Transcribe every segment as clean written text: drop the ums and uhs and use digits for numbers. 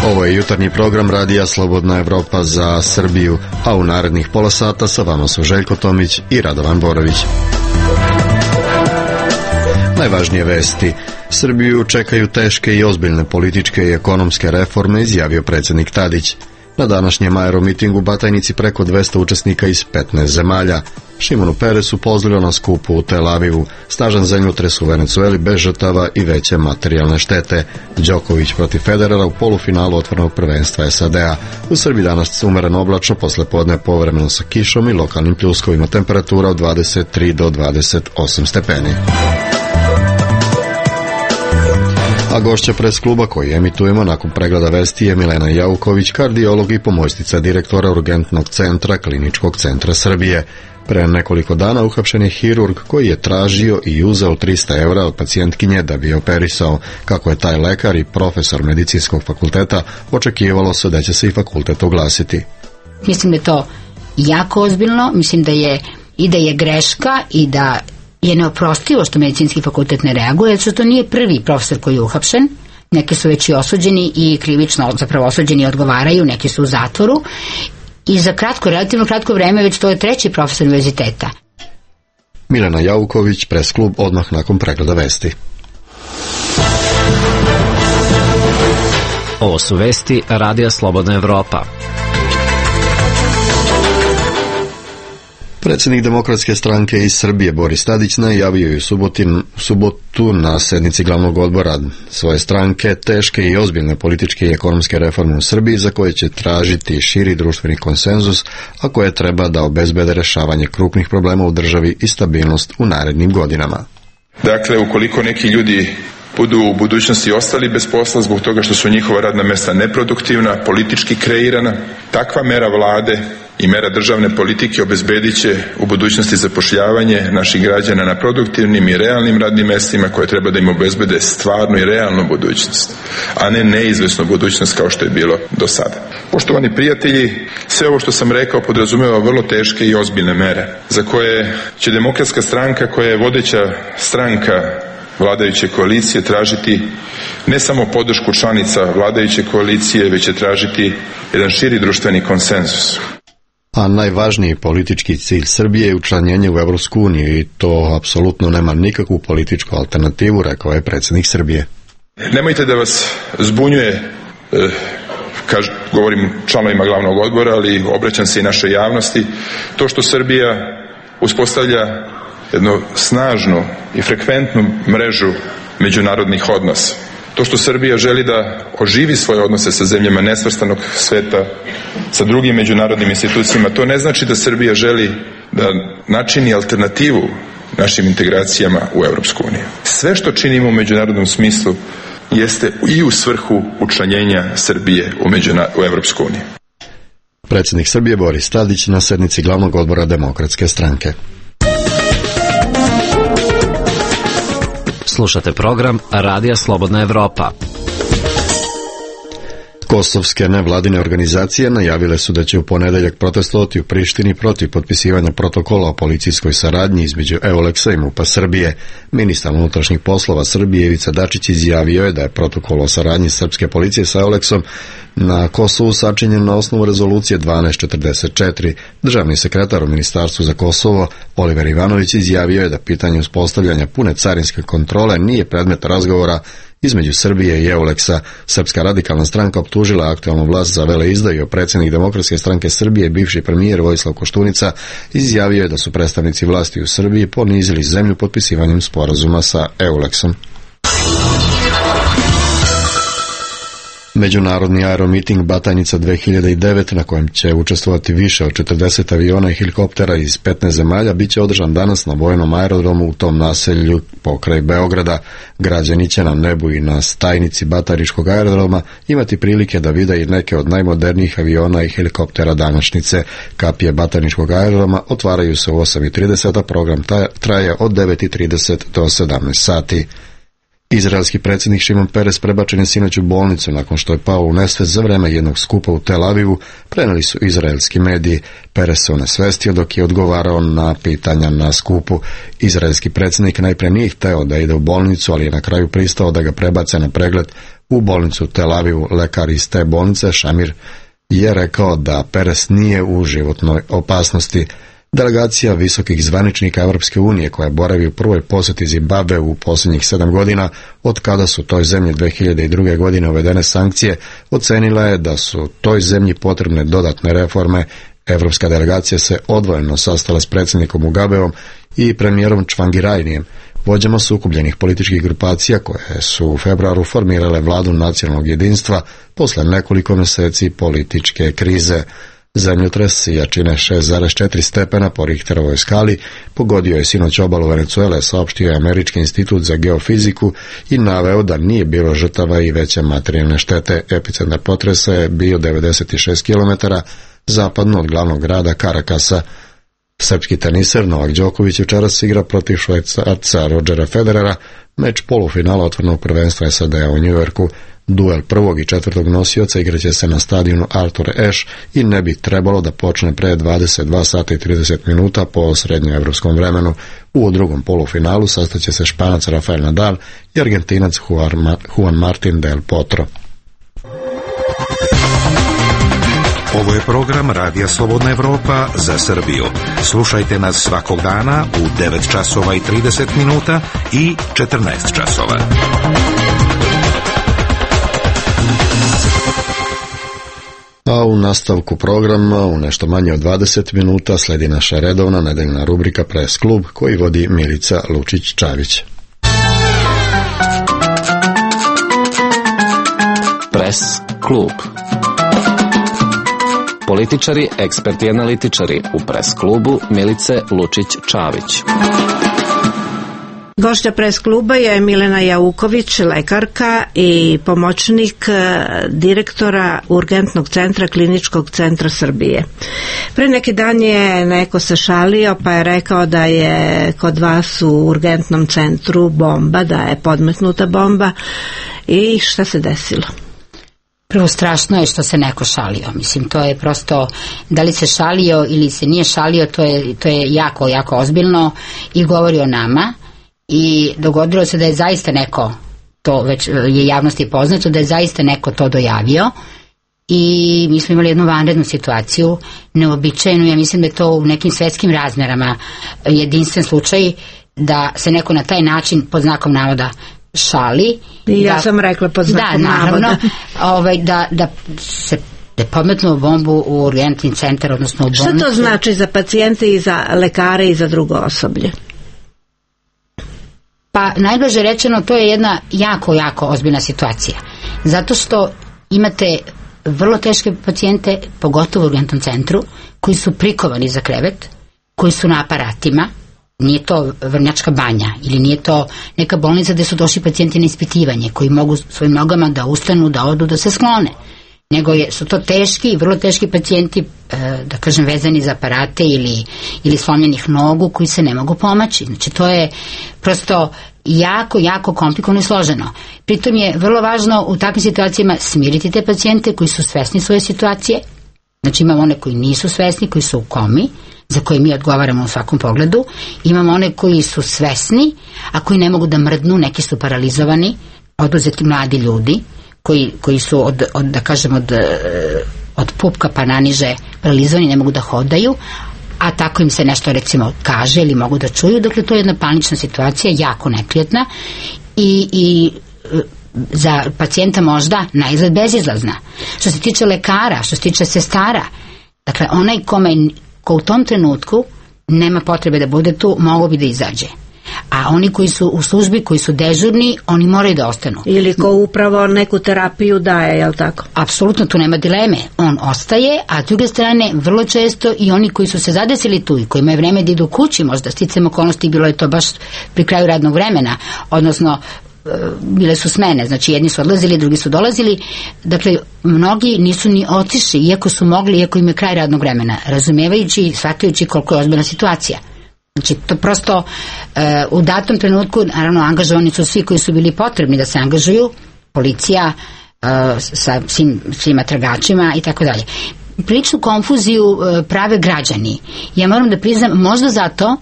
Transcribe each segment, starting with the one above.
Ovo je jutarnji program Radija Slobodna Evropa za Srbiju, a u narednih pola sata sa vama su Željko Tomić i Radovan Borović. Najvažnije vesti. Srbiju čekaju teške i ozbiljne političke i ekonomske reforme, izjavio predsjednik Tadić. Na današnjem aeromitingu Batajnici preko 200 učesnika iz 15 zemalja. Šimonu Peresu pozdravio na skupu u Tel Avivu. Snažan zemljotres u Venecueli bez žrtava i veće materijalne štete. Đoković protiv Federera u polufinalu otvorenog prvenstva SAD-a. U Srbiji danas umereno oblačno, posle podne povremeno sa kišom i lokalnim pljuskovima, temperatura od 23 do 28 stepeni. A gošća pres kluba koji emitujemo nakon pregleda vesti je Milena Jauković, kardiolog i pomoćnica direktora Urgentnog centra Kliničkog centra Srbije. Pre nekoliko dana uhapšen je hirurg koji je tražio i uzeo 300 evra od pacijentkinje da bi je operisao. Kako je taj lekar i profesor medicinskog fakulteta, očekivalo se da će se i fakultet oglasiti. Mislim da je to jako ozbiljno, mislim da je greška i da je neoprostivo što medicinski fakultet ne reaguje, jer što to nije prvi profesor koji je uhapšen. Neki su već i osuđeni i krivično zapravo osuđeni i odgovaraju, neki su u zatvoru. I za relativno kratko vreme već to je treći profesor univerziteta. Milena Jauković, pres klub, odmah nakon pregleda vesti. Ovo su vesti Radija Slobodna Evropa. Predsjednik Demokratske stranke iz Srbije Boris Tadić najavio je u subotu na sednici glavnog odbora svoje stranke teške i ozbiljne političke i ekonomske reforme u Srbiji za koje će tražiti širi društveni konsenzus, a koje treba da obezbede rešavanje krupnih problema u državi i stabilnost u narednim godinama. Dakle, ukoliko neki ljudi budu u budućnosti ostali bez posla zbog toga što su njihova radna mjesta neproduktivna, politički kreirana, takva mera vlade i mera državne politike obezbedit će u budućnosti zapošljavanje naših građana na produktivnim i realnim radnim mjestima koje treba da im obezbede stvarnu i realnu budućnost, a ne neizvesnu budućnost kao što je bilo do sada. Poštovani prijatelji, sve ovo što sam rekao podrazumeva vrlo teške i ozbiljne mere za koje će Demokratska stranka, koja je vodeća stranka vladajuće koalicije, tražiti ne samo podršku članica vladajuće koalicije, već će tražiti jedan širi društveni konsenzus. A najvažniji politički cilj Srbije je učlanjenje u Evropsku uniju i to apsolutno nema nikakvu političku alternativu, rekao je predsjednik Srbije. Nemojte da vas zbunjuje, govorim članovima glavnog odbora, ali obraćam se i našoj javnosti, to što Srbija uspostavlja jednu snažnu i frekventnu mrežu međunarodnih odnosa. To što Srbija želi da oživi svoje odnose sa zemljama nesvrstanog sveta, sa drugim međunarodnim institucijama, to ne znači da Srbija želi da načini alternativu našim integracijama u Europsku uniju. Sve što činimo u međunarodnom smislu jeste i u svrhu učlanjenja Srbije u Europsku uniju. Predsjednik Srbije Boris Tadić na sednici glavnog odbora Demokratske stranke. Slušate program Radija Slobodna Evropa. Kosovske nevladine organizacije najavile su da će u ponedeljak protestovati u Prištini protiv potpisivanja protokola o policijskoj saradnji između EULEX-a i MUP-a Srbije. Ministar unutrašnjih poslova Srbije Ivica Dačić izjavio je da je protokol o saradnji srpske policije sa EULEX-om na Kosovu sačinjen na osnovu rezolucije 1244. Državni sekretar u Ministarstvu za Kosovo Oliver Ivanović izjavio je da pitanje uspostavljanja pune carinske kontrole nije predmet razgovora između Srbije i EULEX-a. Srpska radikalna stranka optužila aktualnu vlast za veleizdaju, a predsjednik Demokratske stranke Srbije, bivši premijer Vojislav Koštunica, izjavio je da su predstavnici vlasti u Srbiji ponizili zemlju potpisivanjem sporazuma sa EULEX-om. Međunarodni aeromiting Batajnica 2009, na kojem će učestvovati više od 40 aviona i helikoptera iz 15 zemalja, bit će održan danas na vojnom aerodromu u tom naselju pokraj Beograda. Građani će na nebu i na stajnici Batajničkog aerodroma imati prilike da vide i neke od najmodernijih aviona i helikoptera današnjice. Kapije Batajničkog aerodroma otvaraju se u 8:30, a program traje od 9:30 do 17 sati. Izraelski predsjednik Šimon Peres prebačen je sinoć u bolnicu nakon što je pao u nesvest za vreme jednog skupa u Tel Avivu, preneli su izraelski mediji. Peres se onesvestio dok je odgovarao na pitanja na skupu. Izraelski predsjednik najprije nije hteo da ide u bolnicu, ali je na kraju pristao da ga prebace na pregled u bolnicu u Tel Avivu. Lekar iz te bolnice, Šamir, je rekao da Peres nije u životnoj opasnosti. Delegacija visokih zvaničnika Europske unije koja boravi u prvoj posjeti Zimbabve u posljednjih 7 godina, od kada su toj zemlji 2002. godine uvedene sankcije, ocenila je da su toj zemlji potrebne dodatne reforme. Europska delegacija se odvojeno sastala s predsjednikom Mugabeom i premijerom Čvangirajnijem, vođama sukobljenih političkih grupacija koje su u februaru formirale vladu nacionalnog jedinstva posle nekoliko mjeseci političke krize. Zemljotres jačine 6,4 stepena po Richterovoj skali pogodio je sinoć obalu Venezuele, saopštio je Američki institut za geofiziku i naveo da nije bilo žrtava i veće materijalne štete. Epicentar potresa je bio 96 km zapadno od glavnog grada Carakasa. Srpski teniser Novak Đoković večeras igra protiv Švajcarca Rodgera Federera, meč polufinala otvorenog prvenstva SAD-a u Njujorku. Duel prvog i četvrtog nosioca igraće se na stadionu Arthur Ashe i ne bi trebalo da počne pre 22 sata i 30 minuta po srednjoevropskom vremenu. U drugom polufinalu sastaće se Španac Rafael Nadal i Argentinac Juan Martín del Potro. Ovo je program Radija Slobodna Evropa za Srbiju. Slušajte nas svakog dana u 9 časova i 30 minuta i 14 časova. A u nastavku programa u nešto manje od 20 minuta sledi naša redovna nedeljna rubrika Press klub koji vodi Milica Lučić-Čavić. Press klub. Političari, eksperti i analitičari u Press klubu Milice Lučić-Čavić. Gošća Press kluba je Milena Jauković, lekarka i pomoćnik direktora Urgentnog centra Kliničkog centra Srbije. Pre neki dan je neko se šalio pa je rekao da je kod vas u Urgentnom centru bomba, da je podmetnuta bomba. I šta se desilo? Prvo, strašno je što se neko šalio. Mislim, to je prosto, da li se šalio ili se nije šalio, to je jako, jako ozbiljno i govori o nama. I dogodilo se da je zaista neko, to već je javnosti poznato, da je zaista neko to dojavio i mi smo imali jednu vanrednu situaciju, neobičajnu. Ja mislim da je to u nekim svetskim razmerama jedinstven slučaj da se neko na taj način pod znakom navoda šali. I ja sam rekla pod znakom navoda. Da se podmetnuo bombu u urgentni centar, odnosno u bolnicu. Šta to znači za pacijente i za lekare i za drugo osoblje? Pa najblaže rečeno, to je jedna jako, jako ozbiljna situacija. Zato što imate vrlo teške pacijente, pogotovo u urgentnom centru, koji su prikovani za krevet, koji su na aparatima. Nije to Vrnjačka banja ili nije to neka bolnica gde su došli pacijenti na ispitivanje, koji mogu svojim nogama da ustanu, da odu, da se sklone. Nego su to teški, vrlo teški pacijenti, da kažem, vezani za aparate ili slomljenih nogu koji se ne mogu pomaći. Znači, to je prosto jako, jako komplikovano i složeno. Pritom je vrlo važno u takvim situacijama smiriti te pacijente koji su svesni svoje situacije. Znači, imamo one koji nisu svesni, koji su u komi, za koje mi odgovaramo u svakom pogledu. Imamo one koji su svesni, a koji ne mogu da mrdnu, neki su paralizovani, oduzeti mladi ljudi, koji su od pupka pa naniže paralizovani, ne mogu da hodaju, a tako im se nešto recimo kaže ili mogu da čuju. Dakle, to je jedna panična situacija, jako neprijatna i za pacijenta možda naizgled bezizlazna. Što se tiče lekara, što se tiče sestara, dakle, onaj ko u tom trenutku nema potrebe da bude tu, mogo bi da izađe. A oni koji su u službi, koji su dežurni, oni moraju da ostanu. Ili ko upravo neku terapiju daje, je li tako? Apsolutno, tu nema dileme. On ostaje, a s druge strane, vrlo često i oni koji su se zadesili tu i kojima je vreme da idu kući, možda sticam okolnosti, bilo je to baš pri kraju radnog vremena, odnosno bile su smene, znači jedni su odlazili, drugi su dolazili, dakle mnogi nisu ni otišli, iako su mogli, iako im je kraj radnog vremena, razumevajući i shvatajući koliko je ozbiljna situacija. Znači, to prosto u datom trenutku, naravno, angažovani su svi koji su bili potrebni da se angažuju, policija sa svima tragačima i tako dalje. Priličnu konfuziju prave građani. Ja moram da priznam, možda zato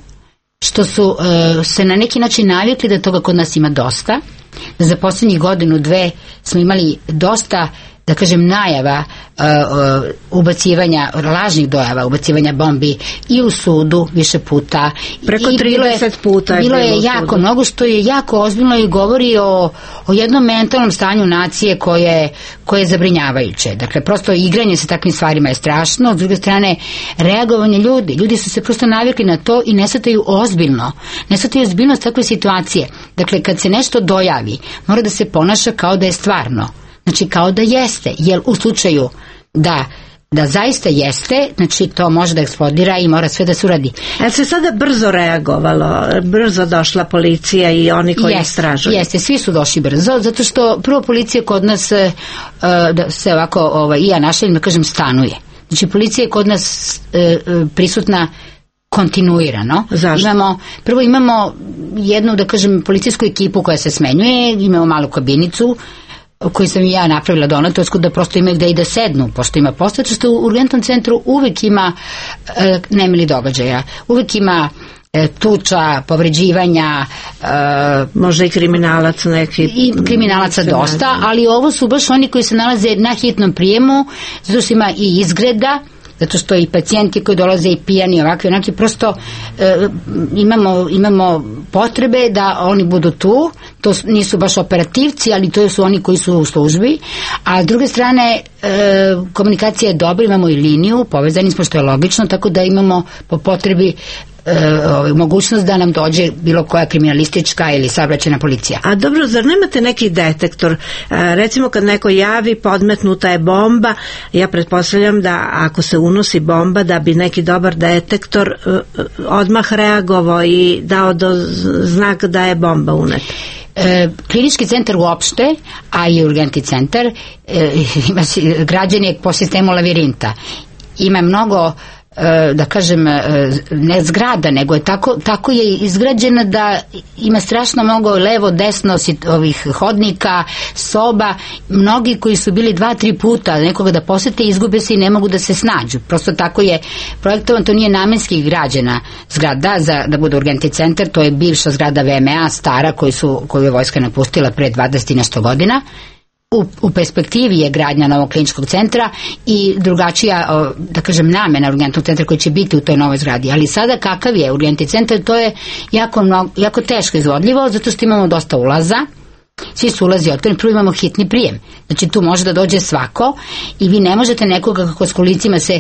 što su se na neki način navikli da toga kod nas ima dosta, da za posljednjih godinu, dve smo imali dosta, da kažem, najava ubacivanja, lažnih dojava, ubacivanja bombi i u sudu više puta. Preko 30 puta bilo je jako mnogo, što je jako ozbiljno i govori o jednom mentalnom stanju nacije koje je zabrinjavajuće. Dakle, prosto igranje sa takvim stvarima je strašno, s druge strane reagovanje ljudi su se prosto navikli na to i ne shvataju ozbiljno. Ne shvataju ozbiljnost takve situacije. Dakle, kad se nešto dojavi, mora da se ponaša kao da je stvarno. Znači, kao da jeste, jer u slučaju da zaista jeste, znači to može da eksplodira i mora sve da se uradi. Se sada brzo reagovalo, brzo došla policija i oni koji istražuju? Jeste, svi su došli brzo, zato što prvo policija kod nas da se ovako, i ja našalim da kažem, stanuje. Znači, policija je kod nas prisutna kontinuirano. Zašto? Prvo imamo jednu, da kažem, policijsku ekipu koja se smenjuje, imamo malu kabinicu koju sam i ja napravila donatorsku, da prosto imaju gde i da sednu, pošto ima posle, što u urgentnom centru uvek ima nemili događaja, uvek ima tuča, povređivanja, možda i kriminalac neki. I kriminalaca dosta, ali ovo su baš oni koji se nalaze na hitnom prijemu, zato što ima i izgreda, zato što i pacijenti koji dolaze i pijani, ovakvi, onaki, prosto imamo potrebe da oni budu tu. To nisu baš operativci, ali to su oni koji su u službi. A s druge strane, komunikacija je dobra, imamo i liniju, povezani smo, što je logično, tako da imamo po potrebi mogućnost da nam dođe bilo koja kriminalistička ili saobraćajna policija. A dobro, zar nemate neki detektor? Recimo kad neko javi podmetnuta je bomba, ja pretpostavljam da ako se unosi bomba, da bi neki dobar detektor odmah reagovao i dao znak da je bomba uneta. Klinički centar uopšte, a i urgentni centar, građan je po sistemu lavirinta. Ima mnogo, da kažem, ne zgrada, nego je tako je izgrađena da ima strašno mnogo levo, desno ovih hodnika, soba. Mnogi koji su bili 2-3 puta nekoga da posete, izgube se i ne mogu da se snađu. Prosto tako je projektovan, to nije namenski građena zgrada da bude urgentni centar, to je bivša zgrada VMA, stara, koju je vojska napustila pre 20 i nešto godina. U perspektivi je gradnja novog kliničkog centra i drugačija, da kažem, namena urgentnog centra koji će biti u toj novoj zgradi. Ali sada kakav je urgentni centar, to je jako teško izvodljivo, zato što imamo dosta ulaza, svi su ulazi otvoreni, prvo imamo hitni prijem. Znači tu može da dođe svako i vi ne možete nekoga kako s kolicima se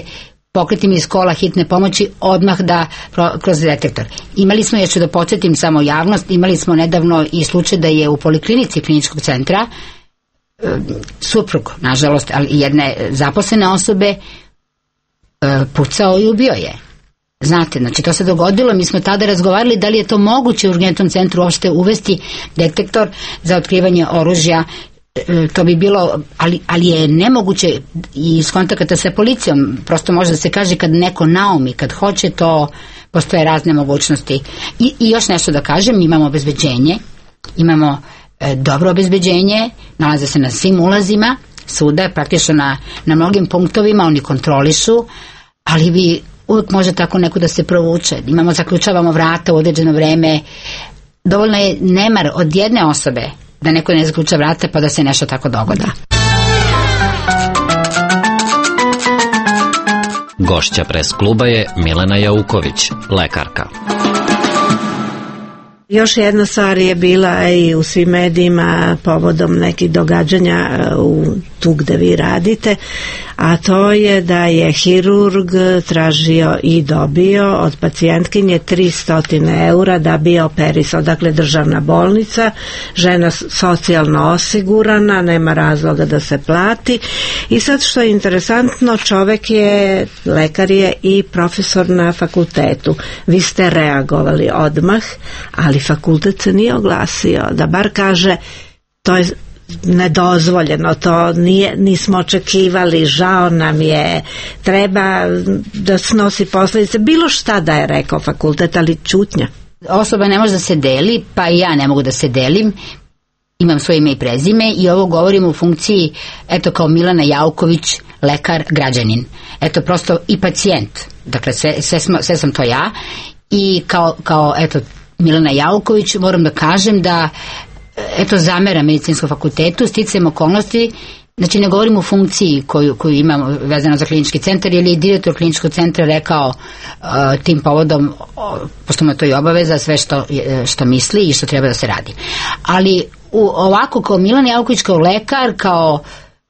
pokretim iz kola hitne pomoći odmah da kroz detektor. Imali smo, ja ću da podsjetim samo javnost, imali smo nedavno i slučaj da je u poliklinici kliničkog centra suprug, nažalost, ali jedne zaposlene osobe pucao i ubio je. Znate, znači to se dogodilo, mi smo tada razgovarali da li je to moguće u urgentnom centru uopšte uvesti detektor za otkrivanje oružja. To bi bilo, ali je nemoguće i iz kontakata sa policijom, prosto može da se kaže kad neko naumi, kad hoće, to postoje razne mogućnosti. I još nešto da kažem, imamo obezbeđenje, imamo dobro obezbeđenje, nalaze se na svim ulazima suda, praktično na mnogim punktovima, oni kontrolišu, ali vi uvijek može tako neko da se provuče. Zaključavamo vrata u određeno vreme, dovoljno je nemar od jedne osobe da neko ne zaključa vrata pa da se nešto tako dogodi. Gošća pres kluba je Milena Jauković, lekarka. Još jedna stvar je bila i u svim medijima povodom nekih događanja tu gde vi radite, a to je da je hirurg tražio i dobio od pacijentkinje 300 eura da bi operisao. Dakle, državna bolnica, žena socijalno osigurana, nema razloga da se plati. I sad što je interesantno, čovek je, lekar je i profesor na fakultetu. Vi ste reagovali odmah, ali fakultet se nije oglasio, da bar kaže to je nedozvoljeno, to nismo očekivali, žao nam je, treba da snosi posledice, bilo šta da je rekao fakultet, ali ćutnja. Osoba ne može da se deli, pa i ja ne mogu da se delim, imam svoje ime i prezime i ovo govorim u funkciji, eto, kao Milana Jauković, lekar, građanin, eto, prosto i pacijent, dakle sve sam to ja i kao eto, Milana Jauković moram da kažem da eto, zameram medicinskom fakultetu sticajem okolnosti, znači ne govorim u funkciji koju imam vezano za klinički centar, jer je direktor kliničkog centra rekao tim povodom, pošto mu je to i obaveza, sve što misli i što treba da se radi. Ali ovako kao Milan Jauković, kao lekar, kao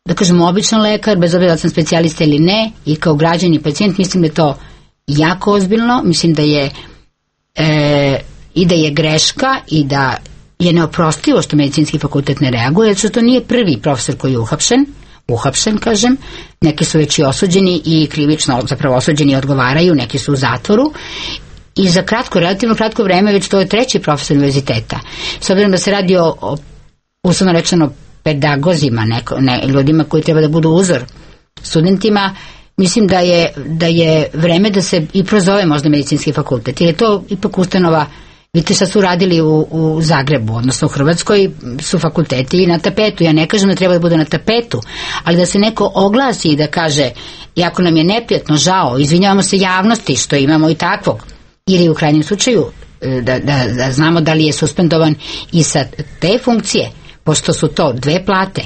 da kažem običan lekar, bez obzira da sam specijalista ili ne, i kao građan i pacijent, mislim da je to jako ozbiljno, mislim da je i da je greška i da je neoprostivo što medicinski fakultet ne reaguje, jer što to nije prvi profesor koji je uhapšen, kažem, neki su već i osuđeni i krivično zapravo osuđeni i odgovaraju, neki su u zatvoru i za relativno kratko vreme već to je treći profesor univerziteta. S obzirom da se radi o uslovno rečeno pedagozima, ljudima koji treba da budu uzor studentima, mislim da je vreme da se i prozove možda medicinski fakultet, jer je to ipak ustanova. Vidite šta su radili u Zagrebu, odnosno u Hrvatskoj su fakulteti na tapetu. Ja ne kažem da treba da bude na tapetu, ali da se neko oglasi i da kaže, iako nam je neprijatno, žao, izvinjavamo se javnosti što imamo i takvog, ili u krajnjem slučaju da znamo da li je suspendovan i sa te funkcije, pošto su to 2 plate.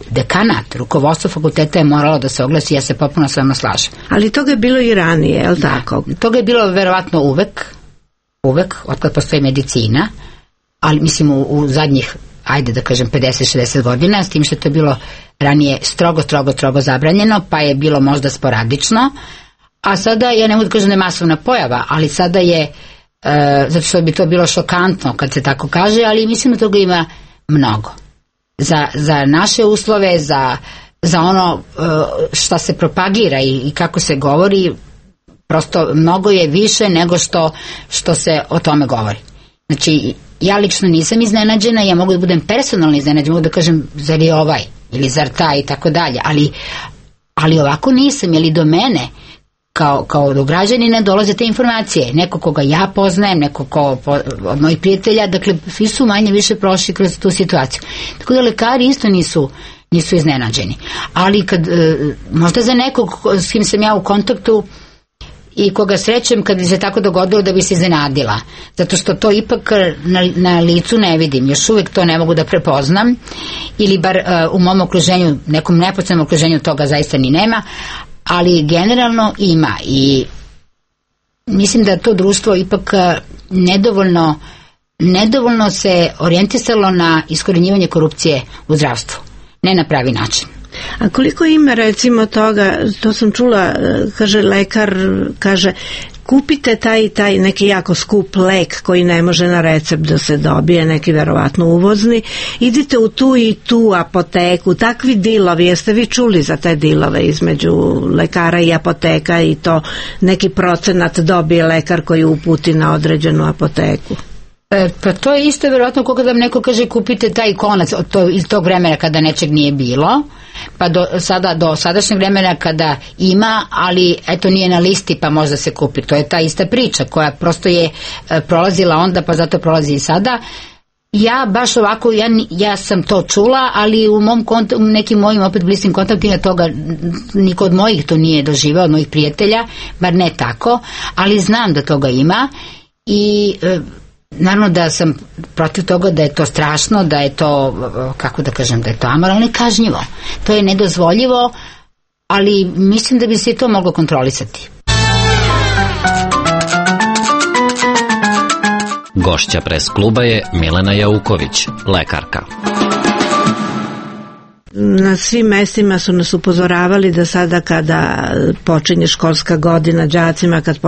Dekanat, rukovodstvo fakulteta je moralo da se oglasi, ja se potpuno s vama slažem. Ali toga je bilo i ranije, je li tako? Toga je bilo verovatno uvek, otkad postoji medicina, ali mislim u zadnjih, ajde da kažem 50-60 godina, s tim što je to bilo ranije strogo zabranjeno, pa je bilo možda sporadično, a sada, ja ne mogu da kažem da je masovna pojava, ali sada je, zato što bi to bilo šokantno kad se tako kaže, ali mislim da toga ima mnogo. Za naše uslove, za ono šta se propagira i kako se govori, prosto mnogo je više nego što se o tome govori. Znači, ja lično nisam iznenađena, ja mogu da budem personalno iznenađena, mogu da kažem zar je ovaj ili zar taj i tako dalje, ali ovako nisam, jer i do mene kao do građanina dolaze te informacije, neko koga ja poznajem, neko od mojih prijatelja, dakle svi su manje više prošli kroz tu situaciju, tako da lekari isto nisu iznenađeni, ali kad možda za nekog s kim sam ja u kontaktu i koga srećem kad bi se tako dogodilo da bi se iznenadila, zato što to ipak na licu ne vidim, još uvijek to ne mogu da prepoznam, ili bar u mom okruženju, nekom neposrednom okruženju toga zaista ni nema, ali generalno ima i mislim da to društvo ipak nedovoljno se orijentisalo na iskorjenjivanje korupcije u zdravstvu, ne na pravi način. A koliko ima recimo toga, to sam čula, kaže lekar, kaže kupite taj neki jako skup lek koji ne može na recept da se dobije, neki verovatno uvozni, idite u tu i tu apoteku, takvi dilovi, jeste vi čuli za te dilove između lekara i apoteka i to neki procenat dobije lekar koji uputi na određenu apoteku? Pa to je isto verovatno kako da vam neko kaže kupite taj konac iz tog vremena kada nečeg nije bilo, pa do sadašnjeg vremena kada ima, ali eto nije na listi pa možda se kupi. To je ta ista priča koja prosto je prolazila onda pa zato prolazi i sada. Ja baš ovako, ja sam to čula, ali u nekim mojim opet bliskim kontaktima toga niko od mojih to nije doživao, od mojih prijatelja, bar ne tako, ali znam da toga ima i naravno da sam protiv toga da je to strašno, da je to, kako da kažem, da je to amoralno i kažnjivo. To je nedozvoljivo, ali mislim da bi se i to moglo kontrolisati. Gošća Pres kluba je Milena Jauković, lekarka. Na svim mestima su nas upozoravali da sada kada počinje školska godina đacima, kad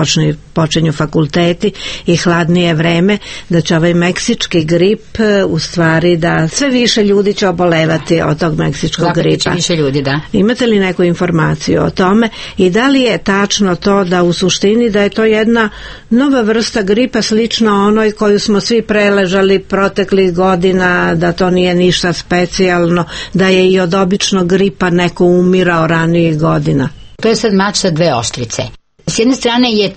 počinju fakulteti i hladnije vreme, da će ovaj meksički grip u stvari da sve više ljudi će obolevati od tog meksičkog gripa. Više ljudi, da. Imate li neku informaciju o tome i da li je tačno to da u suštini da je to jedna nova vrsta gripa slično onoj koju smo svi preležali proteklih godina, da to nije ništa specijalno, da je i od običnog gripa neko umirao ranijih godina? To je sad mač sa dve oštrice. S jedne strane je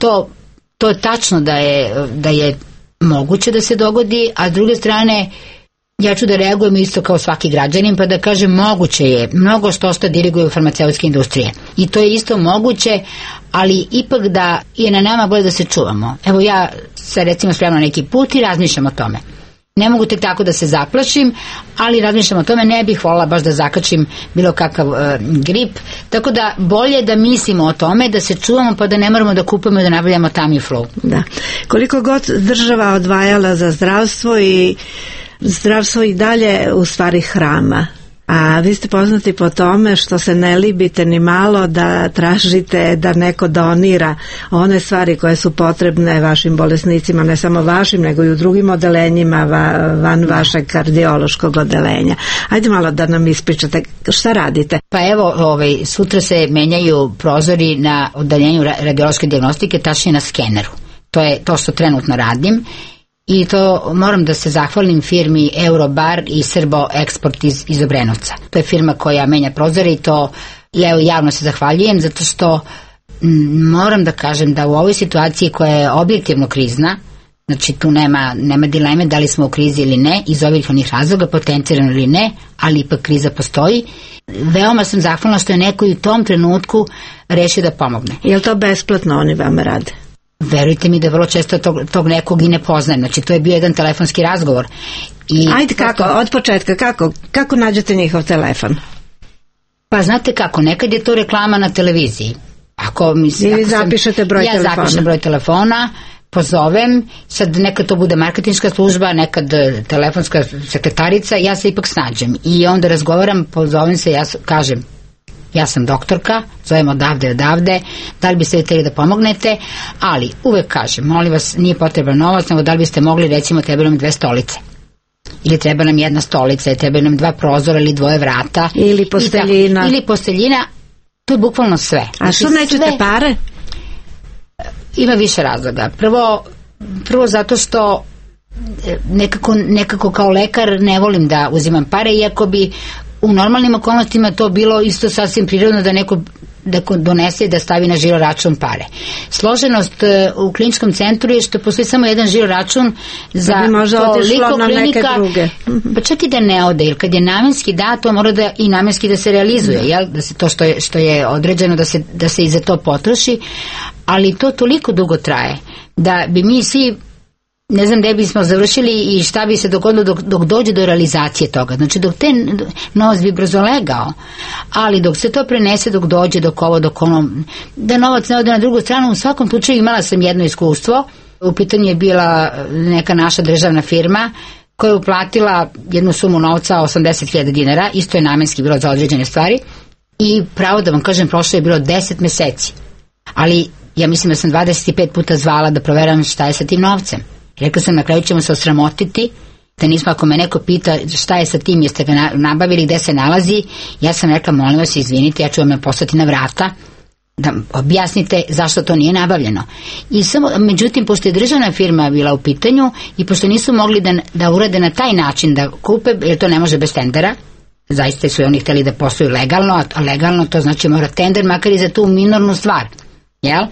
to tačno da je moguće da se dogodi, a s druge strane ja ću da reagujem isto kao svaki građanin pa da kažem moguće je, mnogo što diriguju farmaceutske industrije i to je isto moguće, ali ipak da je na nama bolje da se čuvamo. Evo ja se recimo spremam neki put i razmišljam o tome. Ne mogu tek tako da se zaplašim, ali razmišljam o tome, ne bih voljela baš da zakačim bilo kakav grip, tako da bolje da mislimo o tome, da se čuvamo pa da ne moramo da kupujemo i da nabavljamo Tamiflu. Da. Koliko god država odvajala za zdravstvo i dalje u stvari hrama. A vi ste poznati po tome što se ne libite ni malo da tražite da neko donira one stvari koje su potrebne vašim bolesnicima, ne samo vašim, nego i u drugim odelenjima van vašeg kardiološkog odelenja. Ajde malo da nam ispričate šta radite. Pa evo, sutra se menjaju prozori na odeljenju radiološke dijagnostike, tačnije na skeneru. To je to što trenutno radim. I to moram da se zahvalim firmi Eurobar i Srbo Eksport iz Obrenovca. To je firma koja menja prozore i to javno se zahvaljujem zato što moram da kažem da u ovoj situaciji koja je objektivno krizna, znači tu nema dileme da li smo u krizi ili ne, iz ovih onih razloga, potencirano ili ne, ali ipak kriza postoji. Veoma sam zahvalna što je neko i u tom trenutku rešio da pomogne. Je li to besplatno oni vama rade? Verujte mi da vrlo često tog nekog i ne poznajem. Znači to je bio jedan telefonski razgovor. Ajde kako, od početka, kako nađete njihov telefon? Pa znate kako, nekad je to reklama na televiziji. Vi zapišete broj telefona? Ja zapišem broj telefona, pozovem, sad nekad to bude marketinška služba, nekad telefonska sekretarica, ja se ipak snađem i onda razgovaram, pozovem se, ja kažem ja sam doktorka, zovem odavde, da li biste vi hteli da pomognete, ali uvek kažem, molim vas, nije potreban novac, nego da li biste mogli, recimo, treba nam 2 stolice. Ili treba nam 1 stolica, treba nam 2 prozora ili 2 vrata. Ili posteljina. Ili posteljina, to je bukvalno sve. A što nećete pare? Ima više razloga. Prvo zato što nekako kao lekar ne volim da uzimam pare, iako bi u normalnim okolnostima to bilo isto sasvim prirodno da neko donese i da stavi na žiro račun pare. Složenost u kliničkom centru je što postoji samo jedan žiro račun za toliko klinika, pa čak i da ne ode, jer kad je namenski to mora da i namenski da se realizuje, jel? Da se to što je određeno da se i za to potroši, ali to toliko dugo traje da bi mi svi ne znam gde bismo završili i šta bi se dogodilo dok dođe do realizacije toga. Znači dok novac bi brzo legao, ali dok se to prenese, dok dođe dok ono, da novac ne ode na drugu stranu. U svakom slučaju imala sam jedno iskustvo. U pitanju je bila neka naša državna firma koja je uplatila jednu sumu novca 80.000 dinara, isto je namenski bilo za određene stvari i pravo da vam kažem, prošlo je bilo 10 meseci, ali ja mislim da sam 25 puta zvala da proveram šta je sa tim novcem. Rekla sam, na kraju ćemo se osramotiti, da nismo, ako me neko pita šta je sa tim, jeste ga nabavili, gde se nalazi, ja sam rekla, molim vas, izvinite, ja ću vam poslati na vrata, da objasnite zašto to nije nabavljeno. I međutim, pošto je državna firma bila u pitanju i pošto nisu mogli da urade na taj način da kupe, jer to ne može bez tendera, zaista su oni hteli da posluju legalno, a legalno to znači mora tender, makar i za tu minornu stvar, jel?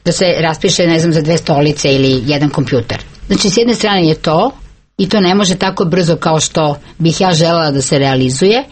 Da se raspiše, ne znam, za 2 stolice ili 1 kompjuter. Znači, s jedne strane je to, i to ne može tako brzo kao što bih ja želela da se realizuje,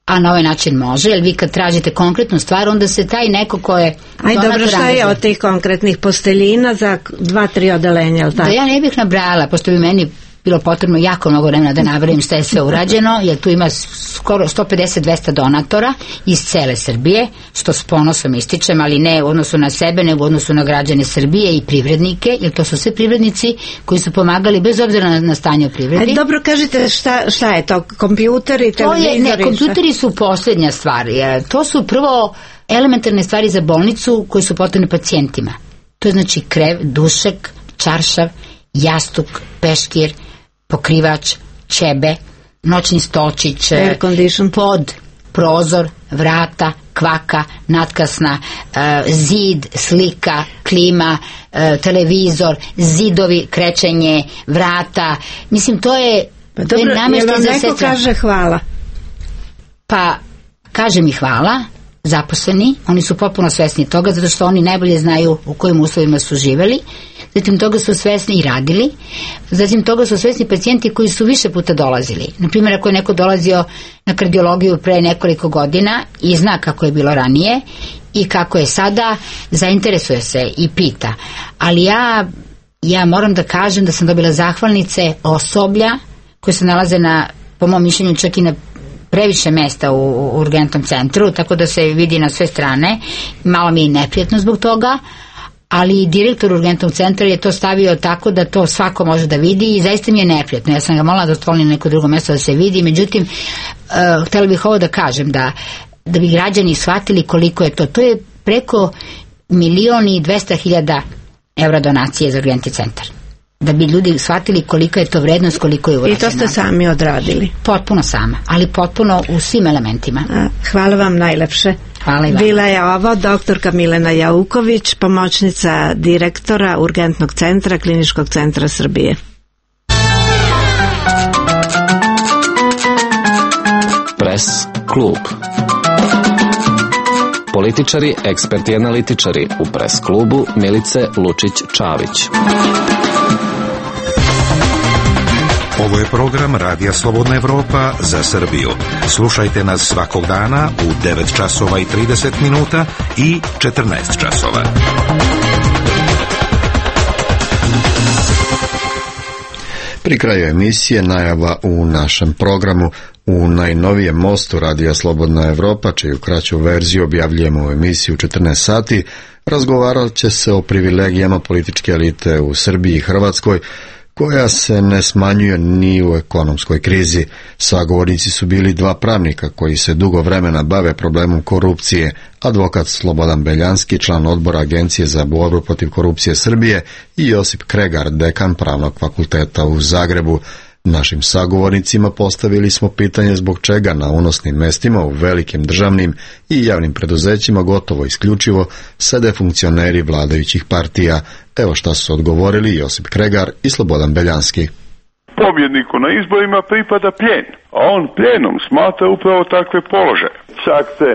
a na ovaj način može, jer vi kad tražite konkretnu stvar, onda se taj neko ko je... Aj, dobro, šta je od tih konkretnih posteljina za 2-3 odelenja, ili tako? Da ja ne bih nabrajala, pošto bi meni bilo potrebno jako mnogo vremena da nabrojim šta je sve urađeno, jer tu ima skoro 150-200 donatora iz cele Srbije, što s ponosom ističem, ali ne u odnosu na sebe, nego u odnosu na građane Srbije i privrednike, jer to su sve privrednici koji su pomagali bez obzira na stanje u privredi. Dobro, kažite šta je to? Kompjuteri, televizori? Kompjuteri su posljednja stvar. To su prvo elementarne stvari za bolnicu koje su potrebne pacijentima. To je znači krev, dušek, čaršav, jastuk, peškir, pokrivač, ćebe, noćni stolčić, pod, prozor, vrata, kvaka, natkasna, zid, slika, klima, televizor, zidovi, krećenje, vrata. Mislim, to je... Dobro, jel vam neko kaže hvala? Pa, kaže mi hvala, zaposleni, oni su potpuno svesni toga, zato što oni najbolje znaju u kojim uslovima su živeli, zatim toga su svesni i radili, zatim toga su svesni pacijenti koji su više puta dolazili. Naprimjer, ako je neko dolazio na kardiologiju pre nekoliko godina i zna kako je bilo ranije i kako je sada, zainteresuje se i pita. Ali ja moram da kažem da sam dobila zahvalnice osoblja koje se nalaze po mom mišljenju, čak i na previše mesta u urgentnom centru, tako da se vidi na sve strane. Malo mi je neprijatno zbog toga, ali direktor urgentnog centra je to stavio tako da to svako može da vidi i zaista mi je neprijatno. Ja sam ga molila da otvorim neko drugo mesto da se vidi, međutim, htjela bih ovo da kažem, da bi građani shvatili koliko je to. To je preko 1.200.000 evra donacije za urgentni centar. Da bi ljudi shvatili kolika je to vrednost, koliko je urađeno. I to ste sami odradili? Potpuno sama, ali potpuno u svim elementima. Hvala vam najlepše. Hvala i vam. Bila je ovo doktorka Milena Jauković, pomoćnica direktora Urgentnog centra Kliničkog centra Srbije. Pres klub. Političari, eksperti i analitičari u Pres klubu Milice Lučić-Čavić. Ovo je program Radija Slobodna Evropa za Srbiju. Slušajte nas svakog dana u 9 časova i 30 minuta i 14 časova. Pri kraju emisije najava u našem programu. U najnovijem mostu Radija Slobodna Evropa, čiju kraću verziju objavljujemo u emisiji u 14 sati, razgovarat će se o privilegijama političke elite u Srbiji i Hrvatskoj, koja se ne smanjuje ni u ekonomskoj krizi. Sagovornici su bili dva pravnika koji se dugo vremena bave problemom korupcije, advokat Slobodan Beljanski, član odbora Agencije za borbu protiv korupcije Srbije, i Josip Kregar, dekan Pravnog fakulteta u Zagrebu. Našim sagovornicima postavili smo pitanje zbog čega na unosnim mestima u velikim državnim i javnim preduzećima gotovo isključivo sede funkcioneri vladajućih partija. Evo šta su odgovorili Josip Kregar i Slobodan Beljanski. Pobjedniku na izborima pripada plijen, a on plijenom smatra upravo takve položaje. Čak se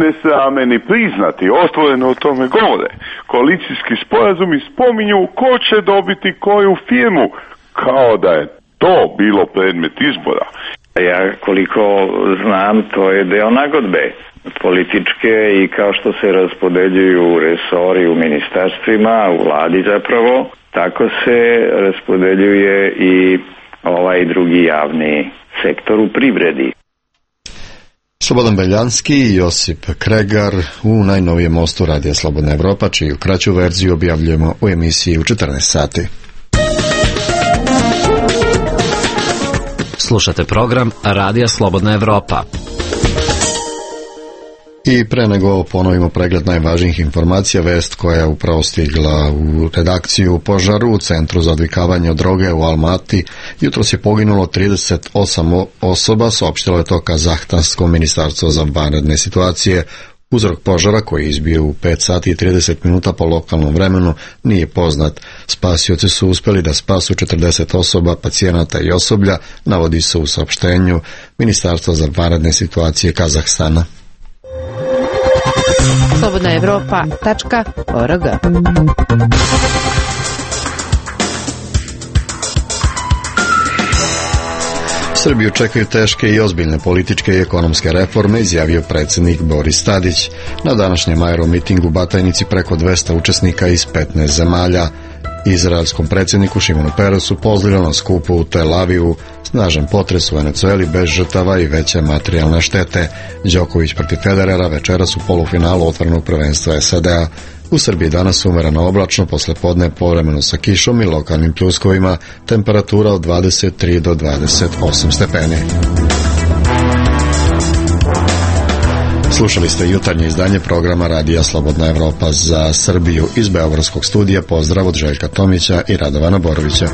ne srame ni priznati, otvoreno o tome govore. Koalicijski sporazumi spominju ko će dobiti koju firmu, kao da je to bilo predmet izbora. Ja koliko znam, to je deo nagodbe političke i kao što se raspodeljuju resori u ministarstvima, u vladi zapravo, tako se raspodeljuje i ovaj drugi javni sektor u privredi. Slobodan Beljanski i Josip Kregar u najnovijem mostu Radija Slobodna Evropa, čiju kraću verziju objavljujemo u emisiji u 14 sati. Slušate program Radija Slobodna Evropa. I pre nego ponovimo pregled najvažnijih informacija, vest koja je upravo stigla u redakciju. Požar u Centru za odvikavanje od droge u Almati. Jutros je poginulo 38 osoba, saopštilo je to Kazahstansko ministarstvo za vanredne situacije. Uzrok požara, koji je izbio u 5 sati i 30 minuta po lokalnom vremenu, nije poznat. Spasioci su uspeli da spasu 40 osoba, pacijenata i osoblja, navodi se u saopštenju Ministarstva za vanredne situacije Kazahstana. slobodnaevropa.org. Srbiju čekaju teške i ozbiljne političke i ekonomske reforme, izjavio predsjednik Boris Tadić. Na današnjem aeromitingu u Batajnici preko 200 učesnika iz 15 zemalja. Izraelskom predsjedniku Šimonu Peresu pozdravljeno na skupu u Tel Avivu, snažan potres u Venecueli bez žrtava i veće materijalne štete. Đoković protiv Federera večeras u polufinalu otvorenog prvenstva SAD-a. U Srbiji danas umereno oblačno, posle podne povremeno sa kišom i lokalnim pljuskovima, temperatura od 23 do 28 stepeni. Slušali ste jutarnje izdanje programa Radija Slobodna Evropa za Srbiju. Iz beogradskog studija pozdrav od Željka Tomića i Radovana Borovića.